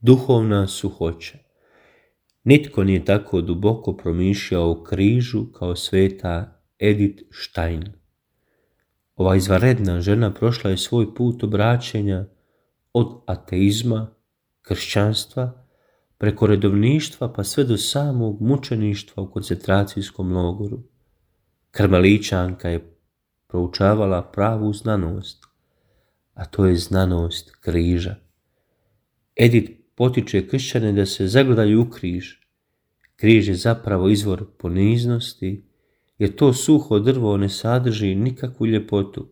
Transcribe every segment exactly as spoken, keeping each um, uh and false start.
Duhovna suhoća. Nitko nije tako duboko promišljao o križu kao sveta Edith Stein. Ova izvanredna žena prošla je svoj put obraćenja od ateizma, kršćanstva, preko redovništva pa sve do samog mučeništva u koncentracijskom logoru. Karmelićanka je proučavala pravu znanost, a to je znanost križa. Edith potiče kršćane da se zagledaju u križ. Križ je zapravo izvor poniznosti, jer to suho drvo ne sadrži nikakvu ljepotu,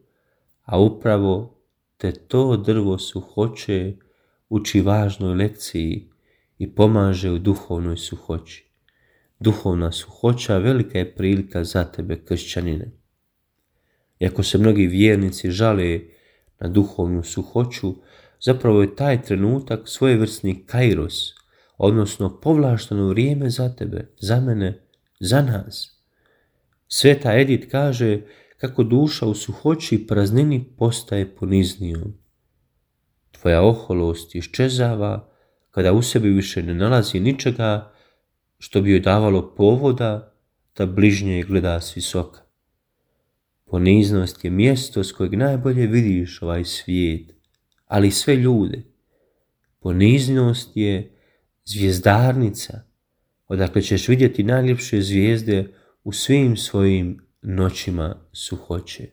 a upravo te to drvo suhoće uči važnoj lekciji i pomaže u duhovnoj suhoći. Duhovna suhoća velika je prilika za tebe, kršćanine. Iako se mnogi vjernici žale na duhovnu suhoću, zapravo je taj trenutak svojevrsni kairos, odnosno povlašteno vrijeme za tebe, za mene, za nas. Sveta Edith kaže kako duša u suhoći i praznini postaje poniznijom. Tvoja oholost iščezava kada u sebi više ne nalazi ničega što bi joj davalo povoda da bližnje gleda s visoka. Poniznost je mjesto s kojeg najbolje vidiš ovaj svijet, ali sve ljude. Poniznost je zvjezdarnica, odakle ćeš vidjeti najljepše zvijezde u svim svojim noćima suhoće.